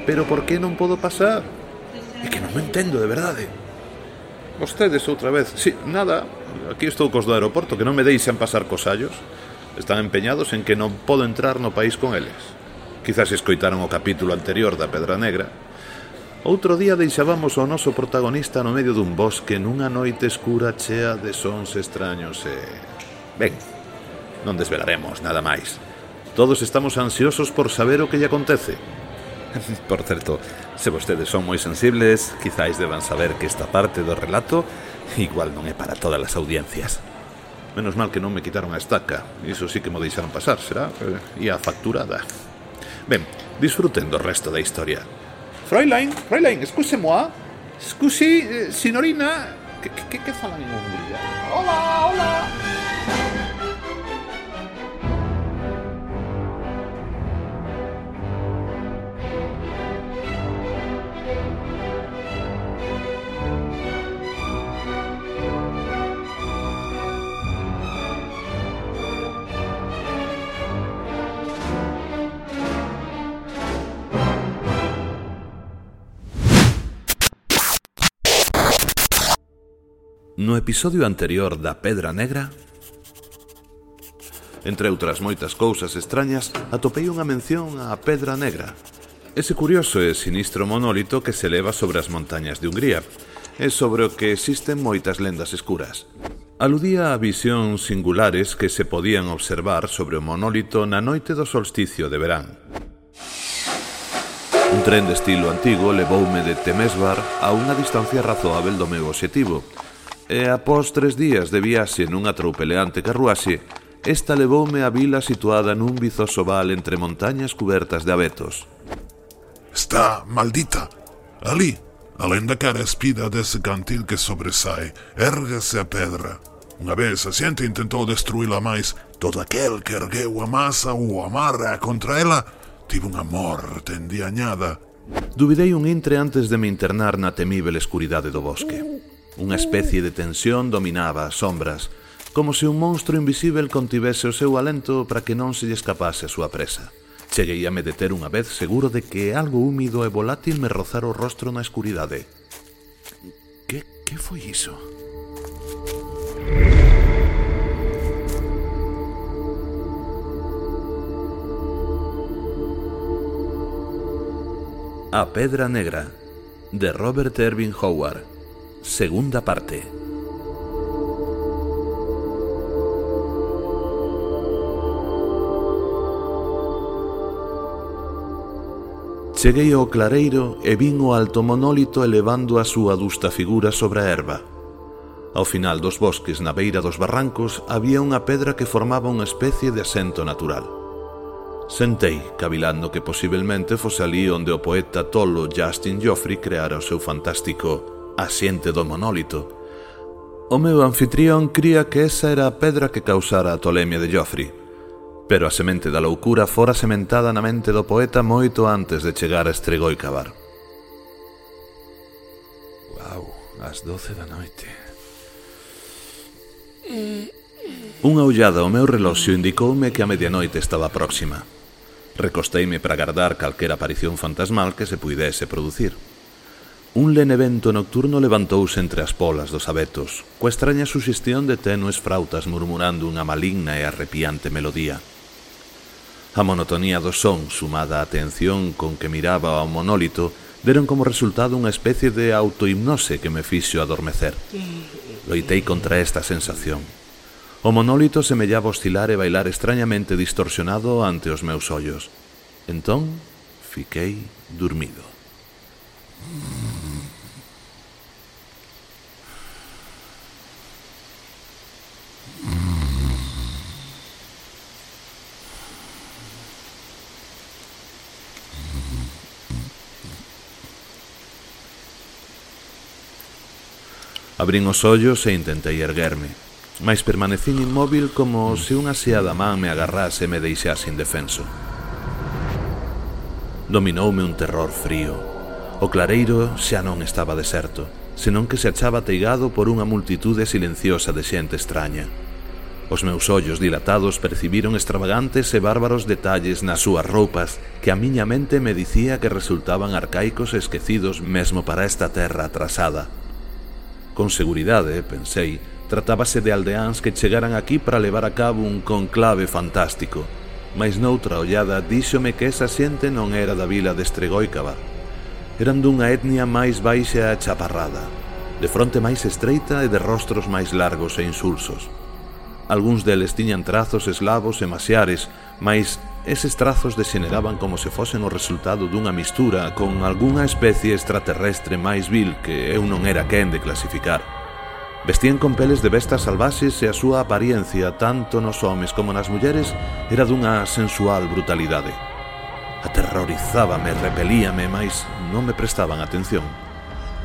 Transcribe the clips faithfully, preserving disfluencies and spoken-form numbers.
Pero por que non podo pasar? É que non me entendo, de verdade. Vostedes outra vez. Si, nada, aquí estou cos do aeroporto, que non me deixan pasar cos allos. Están empeñados en que non podo entrar no país con eles. Quizás escoitaron o capítulo anterior da Pedra Negra. Outro día deixábamos o noso protagonista no medio dun bosque nunha noite escura chea de sons extraños e... Ben, non desvelaremos nada máis. Todos estamos ansiosos por saber o que lle acontece. Por certo, se vostedes son moi sensibles, quizáis deban saber que esta parte do relato igual non é para todas as audiencias. Menos mal que non me quitaron a estaca. Iso sí que mo deixaron pasar, será? E a facturada. Ben, disfruten do resto da historia. Fräulein, Fräulein, excuse-moi. Scusi, eh, signorina. Que, que, que falan en Hungría? Hola, hola. No episodio anterior da Pedra Negra, entre outras moitas cousas extrañas, atopei unha mención á Pedra Negra, ese curioso e sinistro monólito que se eleva sobre as montañas de Hungría, e sobre o que existen moitas lendas escuras. Aludía a visións singulares que se podían observar sobre o monólito na noite do solsticio de verán. Un tren de estilo antigo levoume de Temesvar a unha distancia razoável do meu obxectivo, e após tres días de viaxe nunha troupeleante carruaxe, esta levoume á vila situada nun vizoso val entre montañas cubertas de abetos. Está maldita. Ali, alén da cara espida dese cantil que sobresae, érguese a pedra. Unha vez a xente intentou destruíla máis, todo aquel que ergueu a masa ou amarra contra ela tivo unha morte endiañada. Duvidei un intre antes de me internar na temível escuridade do bosque. Unha especie de tensión dominaba as sombras, como se un monstro invisível contivese o seu alento para que non se lle escapase a súa presa. Cheguei a me deter unha vez seguro de que algo húmido e volátil me rozara o rostro na escuridade. Que, que foi iso? A Pedra Negra, de Robert Irving Howard. Segunda parte. Cheguei ao clareiro e vin o alto monólito elevando a súa adusta figura sobre a herba. Ao final dos bosques, na beira dos barrancos, había unha pedra que formaba unha especie de asento natural. Sentei, cavilando que posiblemente fose ali onde o poeta tolo Justin Joffrey creara o seu fantástico asiente do monólito. O meu anfitrión cría que esa era a pedra que causara a tolemia de Joffrey, pero a semente da loucura fora sementada na mente do poeta moito antes de chegar a Estregoi Cavar. Uau, as doce da noite. Unha ollada ao meu reloxo indicoume que a medianoite estaba próxima. Recosteime para agardar calquera aparición fantasmal que se puidese producir. Un lene vento nocturno levantouse entre as polas dos abetos, coa extraña suxestión de tenues frautas murmurando unha maligna e arrepiante melodía. A monotonía do son, sumada á atención con que miraba ao monólito, deron como resultado unha especie de autohipnose que me fixo adormecer. Loitei contra esta sensación. O monólito semellaba oscilar e bailar extrañamente distorsionado ante os meus ollos. Entón, fiquei dormido. Abrín os ollos e intentei erguerme, mais permanecín inmóvil como se unha xeada man me agarrase e me deixase indefenso. Dominoume un terror frío. O clareiro xa non estaba deserto, senón que se achaba ateigado por unha multitude silenciosa de xente extraña. Os meus ollos dilatados percibiron extravagantes e bárbaros detalles nas súas roupas que a miña mente me dicía que resultaban arcaicos e esquecidos mesmo para esta terra atrasada. Con seguridade, pensei, tratábase de aldeáns que chegaran aquí para levar a cabo un conclave fantástico, mas noutra ollada díxome que esa xente non era da vila de Estregoicaba. Eran dunha etnia máis baixa e chaparrada, de fronte máis estreita e de rostros máis largos e insulsos. Algúns deles tiñan trazos eslavos e masiares, mas eses trazos degeneraban como se fosen o resultado dunha mistura con algunha especie extraterrestre máis vil que eu non era quen de clasificar. Vestían con peles de bestas salvaxes e a súa apariencia, tanto nos homes como nas mulleres, era dunha sensual brutalidade. Aterrorizábame, repelíame, mas non me prestaban atención.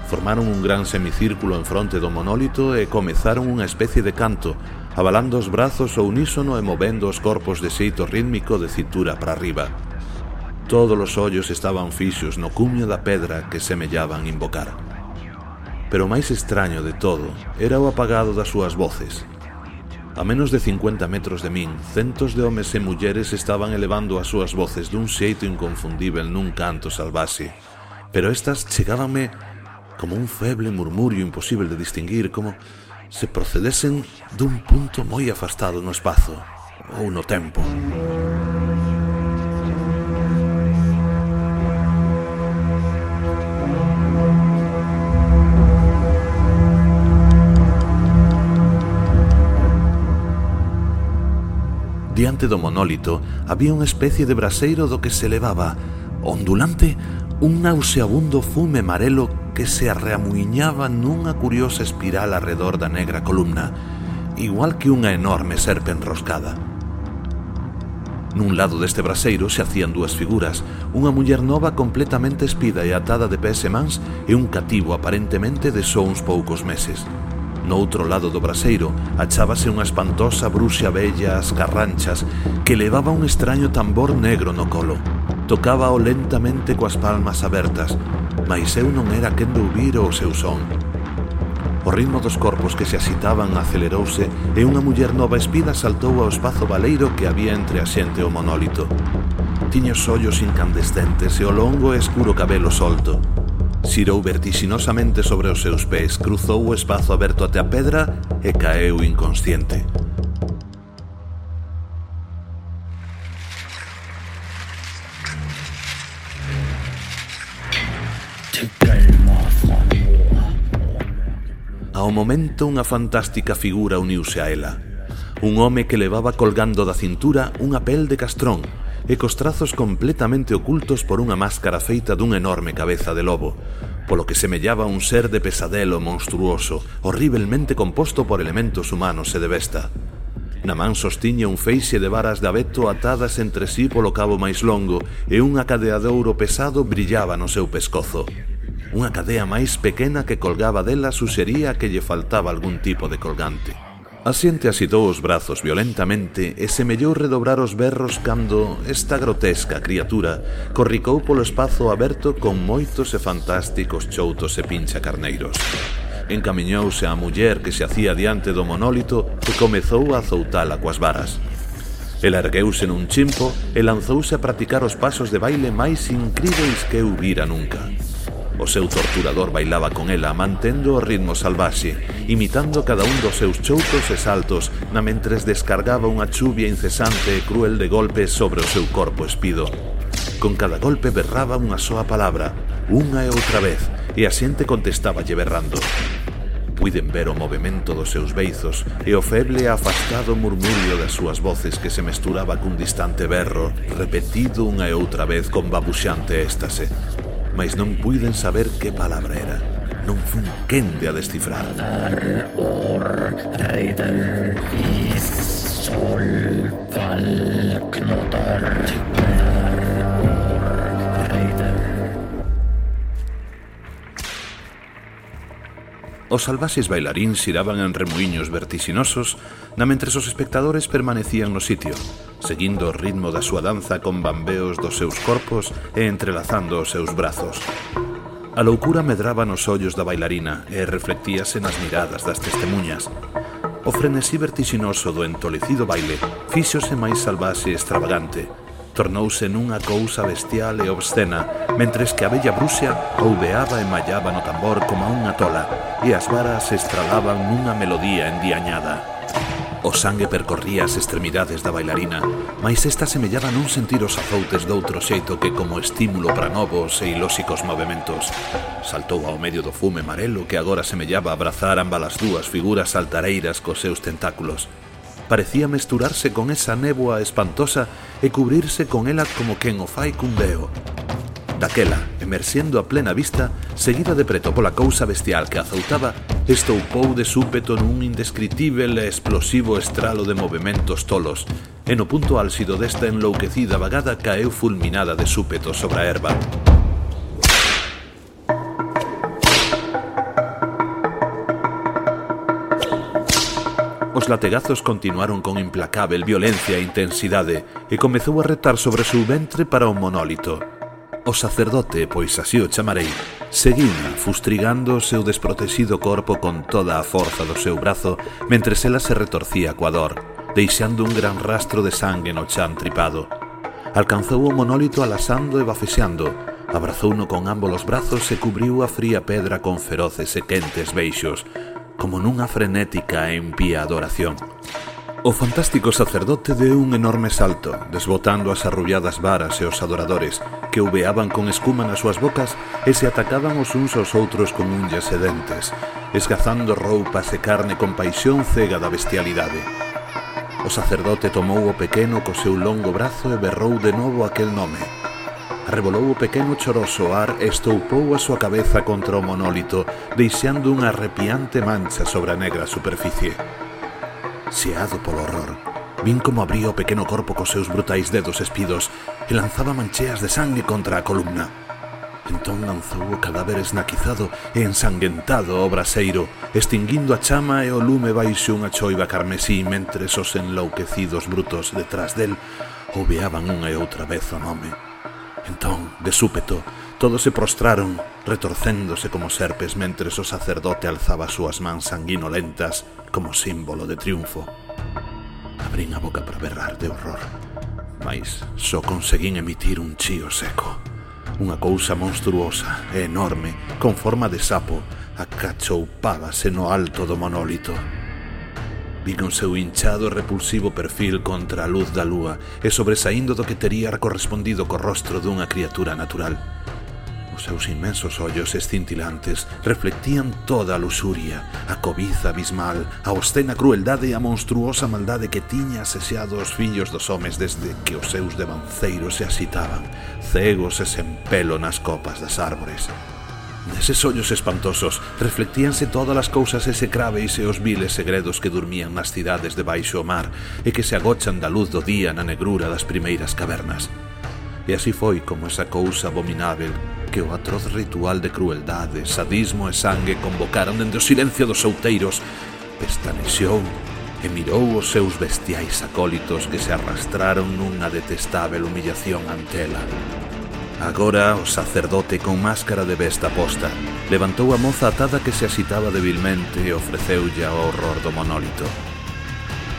Formaron un gran semicírculo en fronte do monólito e comezaron unha especie de canto, abalando os brazos ao unísono e movendo os corpos de xeito rítmico de cintura para arriba. Todos os ollos estaban fixos no cumio da pedra que semellaban invocar. Pero o máis extraño de todo era o apagado das súas voces. A menos de cincuenta metros de min, centos de homes e mulleres estaban elevando as súas voces dun xeito inconfundível nun canto salvaxe, pero estas chegábanme como un feble murmurio imposible de distinguir, como se procedesen dun punto moi afastado no espazo ou no tempo. Diante do monólito había unha especie de braseiro do que se elevaba, ondulante, un nauseabundo fume amarelo que se arreamuiñaba nunha curiosa espiral arredor da negra columna, igual que unha enorme serpe enroscada. Nun lado deste braseiro se hacían dúas figuras, unha muller nova completamente espida e atada de pés e mans e un cativo aparentemente de só uns poucos meses. No outro lado do braseiro achábase unha espantosa bruxa bella ás carranchas que levaba un extraño tambor negro no colo. Tocábao lentamente coas palmas abertas, mas eu non era quen de ouvir o seu son. O ritmo dos corpos que se axitaban acelerouse e unha muller nova espida saltou ao espazo baleiro que había entre a xente e o monólito. Tiña os ollos incandescentes e o longo e escuro cabelo solto. Xirou vertixinosamente sobre os seus pés, cruzou o espazo aberto até a pedra e caeu inconsciente. Ao momento unha fantástica figura uniuse a ela. Un home que levaba colgando da cintura unha pel de castrón e cos trazos completamente ocultos por unha máscara feita dunha enorme cabeza de lobo, polo que semellaba un ser de pesadelo monstruoso, horriblemente composto por elementos humanos e de besta. Na man sostiña un feixe de varas de abeto atadas entre sí polo cabo máis longo e unha cadea de ouro pesado brillaba no seu pescozo. Unha cadea máis pequena que colgaba dela suxería que lle faltaba algún tipo de colgante. A xente asitou os brazos violentamente e semellou redobrar os berros cando esta grotesca criatura corricou polo espazo aberto con moitos e fantásticos choutos e pincha carneiros. Encamiñouse á muller que se hacía diante do monólito e comezou a azoutala coas varas. El ergueuse nun chimpo e lanzouse a practicar os pasos de baile máis incríveis que eu vira nunca. O seu torturador bailaba con ela, mantendo o ritmo salvaxe, imitando cada un dos seus choutos e saltos, na mentres descargaba unha chuvia incesante e cruel de golpes sobre o seu corpo espido. Con cada golpe berraba unha soa palabra, unha e outra vez, e a xente contestáballe berrando. Puiden ver o movimento dos seus beizos e o feble e afastado murmurio das súas voces que se mesturaba cun distante berro, repetido unha e outra vez con babuxante éxtase. Mais non puiden saber que palabra era. Non fun quen de a descifrar. Os salvaxes bailaríns xiraban en remuiños vertixinosos, na mentres os espectadores permanecían no sitio, seguindo o ritmo da súa danza con bambeos dos seus corpos e entrelazando os seus brazos. A loucura medraba nos ollos da bailarina e reflectíase nas miradas das testemuñas. O frenesí vertixinoso do entolecido baile fíxose máis salvaxe e extravagante. Tornouse nunha cousa bestial e obscena, mentres que a bella Bruxa ouveaba e mallaba no tambor como unha tola, e as varas se estralaban nunha melodía endiañada. O sangue percorría as extremidades da bailarina, mais esta semellaba non sentir os azoutes doutro xeito que como estímulo para novos e ilóxicos movementos. Saltou ao medio do fume amarelo que agora semellaba abrazar ambas as dúas figuras altareiras cos seus tentáculos. Parecía mesturarse con esa néboa espantosa e cubrirse con ela como quen o fai cun veo. Daquela, emerxendo a plena vista, seguida de preto pola cousa bestial que azoutaba, estoupou de súpeto nun indescritível e explosivo estralo de movementos tolos, e no punto álxido desta enlouquecida vagada caeu fulminada de súpeto sobre a herba. Os lategazos continuaron con implacável violencia e intensidade, e comezou a retar sobre o seu ventre para o monólito. O sacerdote, pois así o chamarei, seguiuna fustrigando o seu desprotegido corpo con toda a forza do seu brazo, mentres ela se retorcía coa dor, deixando un gran rastro de sangue no chan tripado. Alcanzou o monólito alasando e bafexeando, abrazouno con ambos os brazos e cubriu a fría pedra con feroces e quentes beixos, como nunha frenética e impía adoración. O fantástico sacerdote deu un enorme salto, desbotando as arrulladas varas e os adoradores, que uveaban con escuma nas súas bocas e se atacaban os uns aos outros con unllas e dentes, esgazando roupas e carne con paixón cega da bestialidade. O sacerdote tomou o pequeno co seu longo brazo e berrou de novo aquel nome. Arrebolou o pequeno choroso ao ar e estoupou a súa cabeza contra o monólito, deixando unha arrepiante mancha sobre a negra superficie. Xeado polo horror, vin como abría o pequeno corpo cos seus brutais dedos espidos e lanzaba mancheas de sangue contra a columna. Entón lanzou o cadáver esnaquizado e ensanguentado ao braseiro, extinguindo a chama e o lume baixo unha choiva carmesí, mentres os enlouquecidos brutos detrás del ouveaban unha e outra vez o nome. Entón, de súpeto, todos se prostraron, retorcéndose como serpes, mentres o sacerdote alzaba as súas mans sanguinolentas como símbolo de triunfo. Abrín a boca para berrar de horror, mais só conseguín emitir un chío seco. Unha cousa monstruosa e enorme, con forma de sapo, acachoupábase no alto do monólito. Vin o seu hinchado e repulsivo perfil contra a luz da lúa e sobresaindo do que tería correspondido co rostro dunha criatura natural. Os seus inmensos ollos escintilantes reflectían toda a luxuria, a cobiza abismal, a obscena crueldade e a monstruosa maldade que tiña asexado os fillos dos homes desde que os seus devanceiros se axitaban, cegos e sen pelo nas copas das árbores. Neses ollos espantosos reflectíanse todas as cousas execráveis e os viles segredos que durmían nas cidades debaixo o mar e que se agochan da luz do día na negrura das primeiras cavernas. E así foi como esa cousa abominável que o atroz ritual de crueldade, sadismo e sangue convocaron dende o silencio dos outeiros, pestanexou e mirou os seus bestiais acólitos que se arrastraron nunha detestável humillación ante ela. Agora o sacerdote con máscara de besta posta levantou a moza atada que se axitaba debilmente e ofreceulle ao horror do monólito.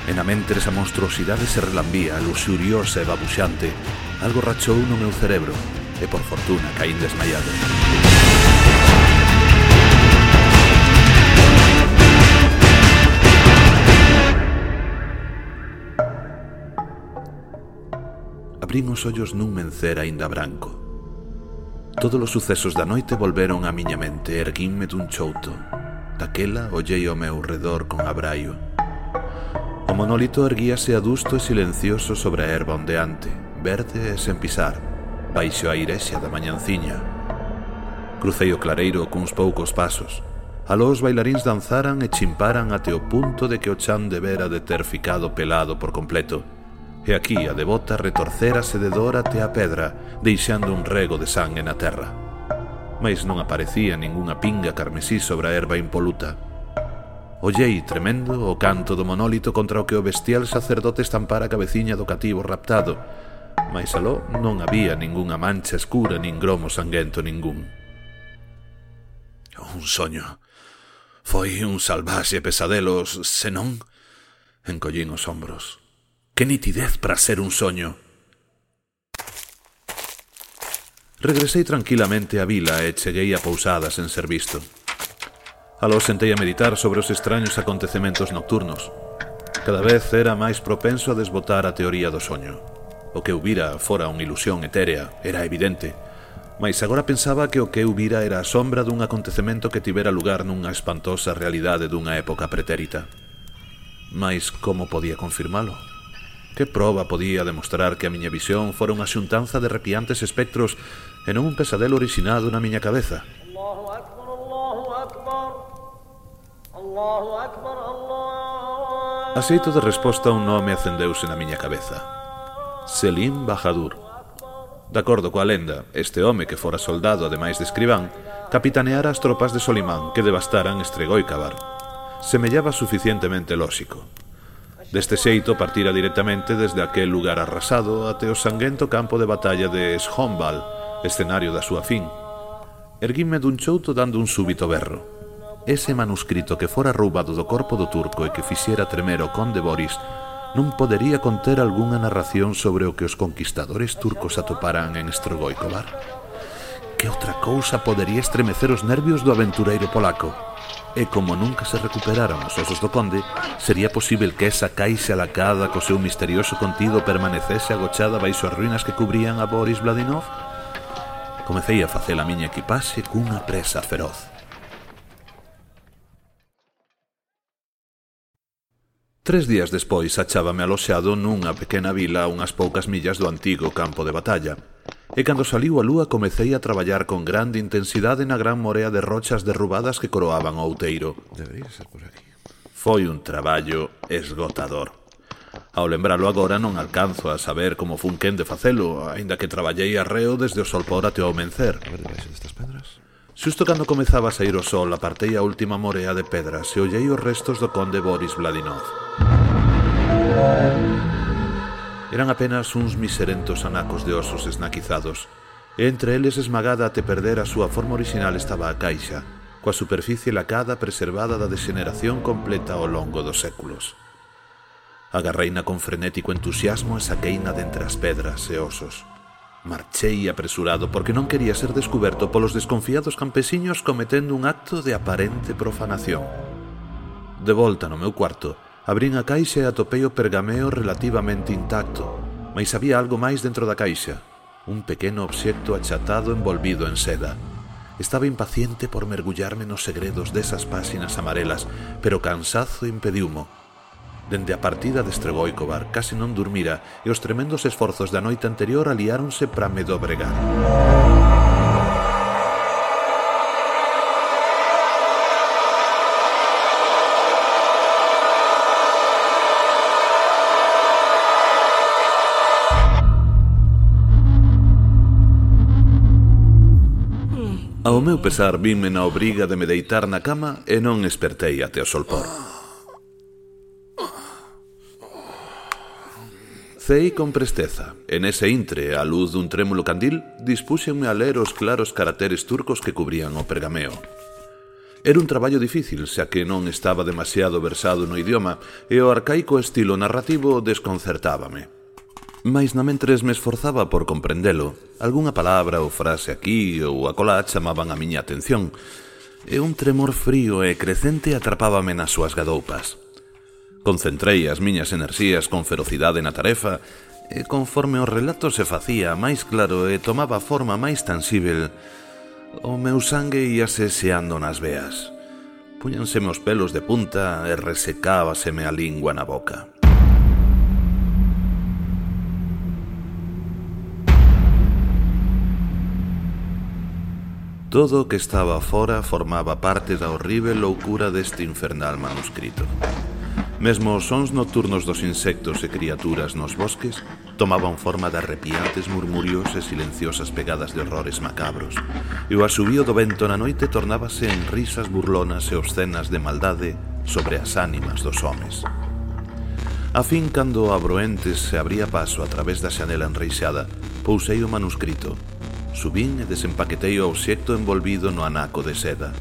En a mentres a monstruosidade se relambía, luxuriosa e babuxante, algo rachou no meu cerebro e por fortuna caín desmaiado. Abrín os ollos nun mencer aínda branco. Todos os sucesos da noite volveron á miña mente e erguínme dun chouto. Daquela ollei ao meu redor con abraio. O monólito erguíase adusto e silencioso sobre a herba ondeante, verde e sen pisar, baixo a irexa da mañanciña. Crucei o clareiro cuns poucos pasos. Aló os bailaríns danzaran e chimparan até o punto de que o chan debera de ter ficado pelado por completo. E aquí a devota retorcérase de dor até a pedra, deixando un rego de sangue na terra. Mais non aparecía ningunha pinga carmesí sobre a herba impoluta. Ollei, tremendo, o canto do monólito contra o que o bestial sacerdote estampara a cabeciña do cativo raptado, mais aló non había ningunha mancha escura nin gromo sanguento ningún. Un soño. Foi un salvaxe pesadelos, senón Encollín os ombros. Que nitidez para ser un soño. Regresei tranquilamente á vila e cheguei a pousada sen ser visto. Aló sentei a meditar sobre os extraños acontecementos nocturnos. Cada vez era máis propenso a desbotar a teoría do soño. O que eu vira fora unha ilusión etérea, era evidente, mais agora pensaba que o que eu vira era a sombra dun acontecemento que tivera lugar nunha espantosa realidade dunha época pretérita. Mais como podía confirmalo? Que proba podía demostrar que a miña visión fora unha xuntanza de arrepiantes espectros e non un pesadelo orixinado na miña cabeza? Allahu Akbar, Allahu Akbar, Allahu Akbar, Allahu... A xeito de resposta un nome acendeuse na miña cabeza. Selim Bahadur. De acordo coa lenda, este home que fora soldado ademais de escribán, capitaneara as tropas de Solimán que devastaran Estregoicabar. Semellaba suficientemente lóxico. Deste xeito partira directamente desde aquel lugar arrasado até o sanguento campo de batalla de Shonbal, escenario da súa fin. Erguínme dun chouto dando un súbito berro. Ese manuscrito que fora roubado do corpo do turco e que fixera tremer o conde Boris non podería conter algunha narración sobre o que os conquistadores turcos atoparan en Estregoicobar. Que outra cousa podería estremecer os nervios do aventureiro polaco? E como nunca se recuperaran os osos do conde, sería posible que esa caixa lacada co seu misterioso contido permanecese agochada baixo as ruínas que cubrían a Boris Vladinov? Comecei a facer a miña equipaxe cunha presa feroz. Tres días despois achábame aloxado nunha pequena vila a unhas poucas millas do antigo campo de batalla, e cando saliu a lúa comecei a traballar con grande intensidade na gran morea de rochas derrubadas que coroaban o outeiro. Debería ser por aquí. Foi un traballo esgotador. Ao lembralo agora non alcanzo a saber como fun quen de facelo, aínda que traballei arreo desde o solpor até o amencer. A ver debaixo destas pedras. Xusto cando comezaba a sair o sol, apartei a última morea de pedras e ollei os restos do conde Boris Vladinov. Eran apenas uns miserentos anacos de osos esnaquizados, e entre eles esmagada até perder a súa forma original estaba a caixa, coa superficie lacada preservada da degeneración completa ao longo dos séculos. Agarreina con frenético entusiasmo e saqueina de entre as pedras e osos. Marchei apresurado porque non quería ser descuberto polos desconfiados campesiños cometendo un acto de aparente profanación. De volta no meu cuarto, abrín a caixa e atopei o pergameo relativamente intacto, mais había algo máis dentro da caixa, un pequeno obxecto achatado envolvido en seda. Estaba impaciente por mergullarme nos segredos desas páxinas amarelas, pero cansazo impediumo. Dende a partida de Estregoicobar case non durmira e os tremendos esforzos da noite anterior aliáronse para me dobregar. Ao meu pesar vime na obriga de me deitar na cama e non espertei até o solpor. Cei con presteza, e nese intre, á luz dun trémulo candil, dispúxenme a ler os claros caracteres turcos que cubrían o pergameo. Era un traballo difícil, xa que non estaba demasiado versado no idioma, e o arcaico estilo narrativo desconcertábame. Mais namentres me esforzaba por comprendelo, algunha palabra ou frase aquí ou acolá chamaban a miña atención, e un tremor frío e crecente atrapábame nas súas gadoupas. Concentrei as miñas enerxías con ferocidade na tarefa, e conforme o relato se facía máis claro e tomaba forma máis tansíbel, o meu sangue íase xeando nas veas. Púñanseme os pelos de punta e resecábaseme a lingua na boca. Todo o que estaba fora formaba parte da horrível loucura deste infernal manuscrito. Mesmo os sons nocturnos dos insectos e criaturas nos bosques tomaban forma de arrepiantes murmurios e silenciosas pegadas de horrores macabros, e o asubío do vento na noite tornábase en risas burlonas e obscenas de maldade sobre as ánimas dos homes. A fin, cando o Abroentes se abría paso a través da xanela enreixada, pousei o manuscrito, subín e desempaquetei o obxecto envolvido no anaco de seda.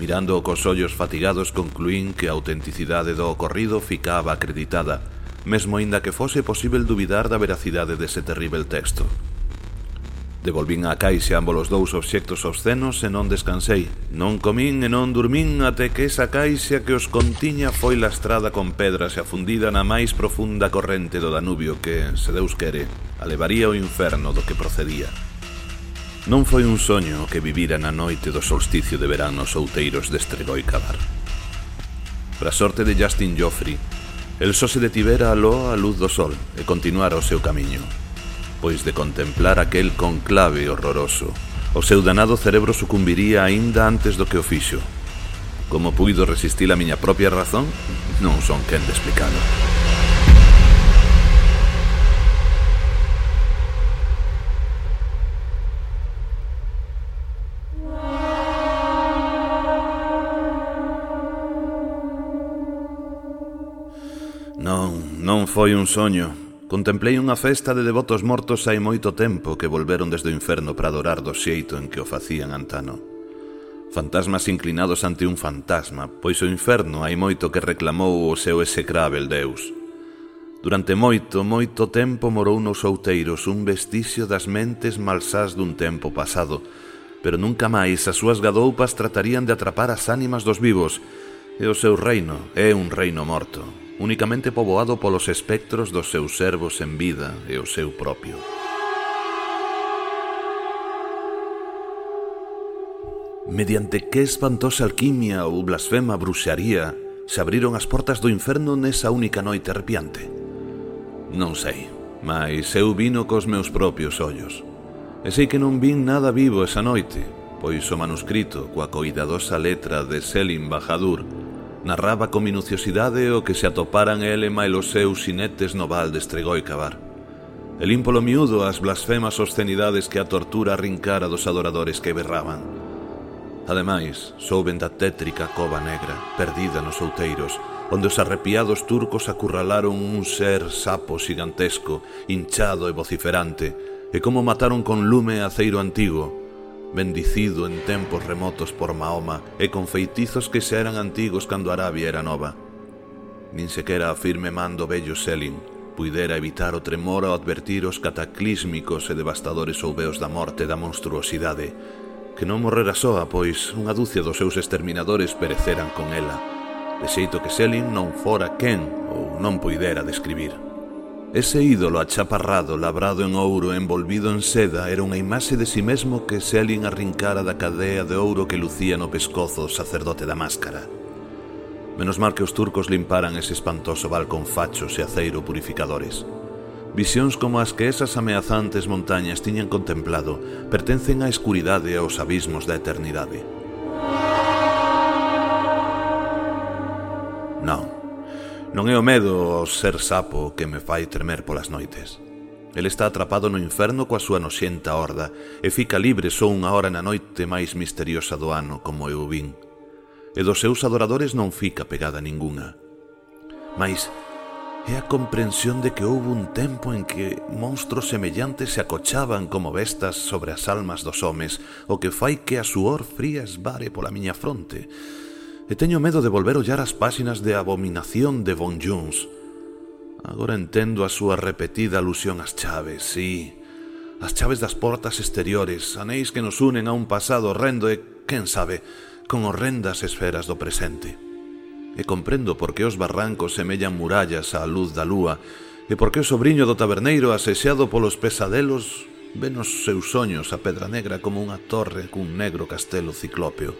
Mirando cos ollos fatigados concluín que a autenticidade do ocorrido ficaba acreditada, mesmo aínda que fose posível dubidar da veracidade dese terrível texto. Devolvín á caixa ambos os dous obxectos obscenos e non descansei. Non comín e non durmín até que esa caixa que os contiña foi lastrada con pedras e afundida na máis profunda corrente do Danubio que, se Deus quere, a levaría ao inferno do que procedía. Non foi un soño que vivira na noite do solsticio de verán nos outeiros de Estregoicabar. Para sorte de Justin Joffrey, el só se detivera aló a luz do sol e continuara o seu camiño, pois de contemplar aquel conclave horroroso, o seu danado cerebro sucumbiría aínda antes do que o fixo. Como puido resistir a miña propia razón, non son quen de explicalo. Non, non foi un soño. Contemplei unha festa de devotos mortos hai moito tempo que volveron desde o inferno para adorar do xeito en que o facían antano. Fantasmas inclinados ante un fantasma, pois o inferno hai moito que reclamou o seu execrável deus. Durante moito, moito tempo morou nos outeiros un vestixio das mentes malsás dun tempo pasado, pero nunca máis as súas gadoupas tratarían de atrapar as ánimas dos vivos, e o seu reino é un reino morto, únicamente poboado polos espectros dos seus servos en vida e o seu propio. Mediante que espantosa alquimia ou blasfema bruxaría se abriron as portas do inferno nesa única noite arrepiante? Non sei, mas eu vino cos meus propios ollos. E sei que non vin nada vivo esa noite, pois o manuscrito coa coidadosa letra de Selim Bahadur narraba con minuciosidade o que se atoparan ele e os seus xinetes no val de Estregoicabar. El ímpolo miúdo as blasfemas obscenidades que a tortura arrincara dos adoradores que berraban. Ademais, souben da tétrica cova negra, perdida nos outeiros, onde os arrepiados turcos acurralaron un ser sapo xigantesco, hinchado e vociferante, e como mataron con lume aceiro antigo, bendicido en tempos remotos por Mahoma e con feitizos que xa eran antigos cando Arabia era nova. Nin sequera a firme mando vello Selim puidera evitar o tremor ao advertir os cataclísmicos e devastadores ouveos da morte e da monstruosidade, que non morrera soa, pois unha dúcia dos seus exterminadores pereceran con ela, de xeito que Selim non fora quen ou non puidera describir. Ese ídolo achaparrado, labrado en ouro e envolvido en seda, era unha imaxe de si mesmo que Selim arrincara da cadea de ouro que lucía no pescozo o sacerdote da máscara. Menos mal que os turcos limparan ese espantoso val con fachos e aceiro purificadores. Visións como as que esas ameazantes montañas tiñan contemplado pertencen á escuridade e aos abismos da eternidade. Non. Non é o medo ao ser sapo que me fai tremer polas noites. El está atrapado no inferno coa súa noxenta horda e fica libre só unha hora na noite máis misteriosa do ano, como eu vin. E dos seus adoradores non fica pegada ningunha. Mais é a comprensión de que houve un tempo en que monstros semellantes se acochaban como bestas sobre as almas dos homes, o que fai que a suor fría esvare pola miña fronte. E teño medo de volver ollar as páxinas de Abominación de Von Jones. Agora entendo a súa repetida alusión ás chaves, sí, as chaves das portas exteriores, anéis que nos unen a un pasado horrendo e, quen sabe, con horrendas esferas do presente. E comprendo por que os barrancos semellan murallas á luz da lúa e por que o sobriño do taberneiro, asexado polos pesadelos, ve nos seus soños a Pedra Negra como unha torre cun negro castelo ciclópeo.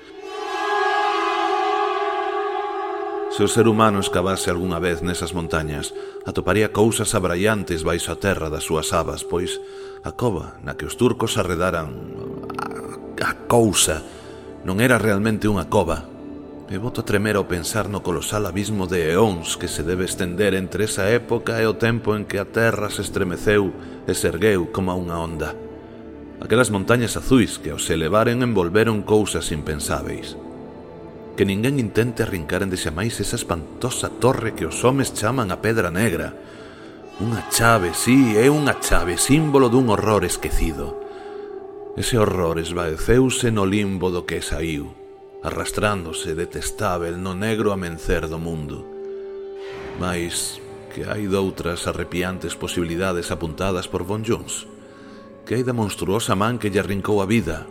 Se o ser humano escavase algunha vez nesas montañas, atoparía cousas abraiantes baixo a terra das súas abas, pois a cova na que os turcos arredaran a, a cousa non era realmente unha cova. E boto a tremer ao pensar no colosal abismo de eóns que se debe estender entre esa época e o tempo en que a terra se estremeceu e se ergueu como unha onda. Aquelas montañas azuis que ao se elevaren envolveron cousas impensáveis. Que ninguén intente arrincar endexamais esa espantosa torre que os homes chaman a Pedra Negra. Unha chave, sí, é unha chave, símbolo dun horror esquecido. Ese horror esvaeceuse no limbo do que saiu, arrastrándose detestável no negro amencer do mundo. Mais que hai doutras arrepiantes posibilidades apuntadas por Von Jones, que hai da monstruosa man que lle arrincou a vida.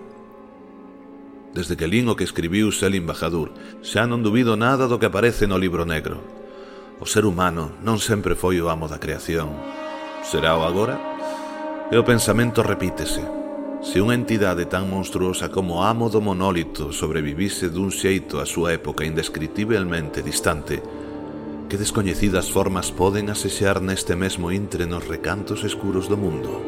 Desde que lin o que escribiu Selim Bahadur, xa non dubido nada do que aparece no libro negro. O ser humano non sempre foi o amo da creación. Será o agora? E o pensamento repítese. Se unha entidade tan monstruosa como amo do monólito sobrevivise dun xeito a súa época indescritiblemente distante, que descoñecidas formas poden asexar neste mesmo intre nos recantos escuros do mundo?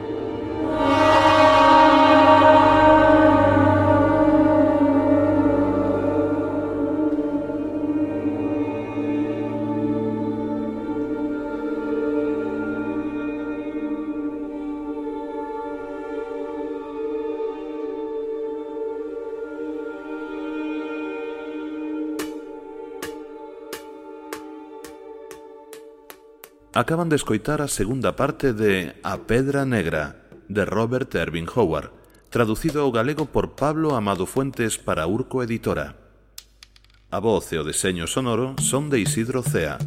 Acaban de escoitar a segunda parte de A Pedra Negra, de Robert Irving Howard, traducido ao galego por Pablo Amado Fuentes para Urco Editora. A voz e o deseño sonoro son de Isidro Cea.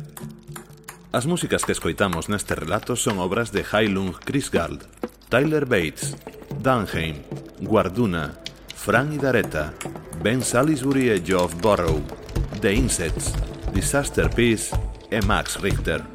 As músicas que escoitamos neste relato son obras de Heilung Krisgard, Tyler Bates, Dunheim, Guarduna, Fran Idareta, Ben Salisbury e Geoff Burrow, The Insects, Disaster Peace e Max Richter.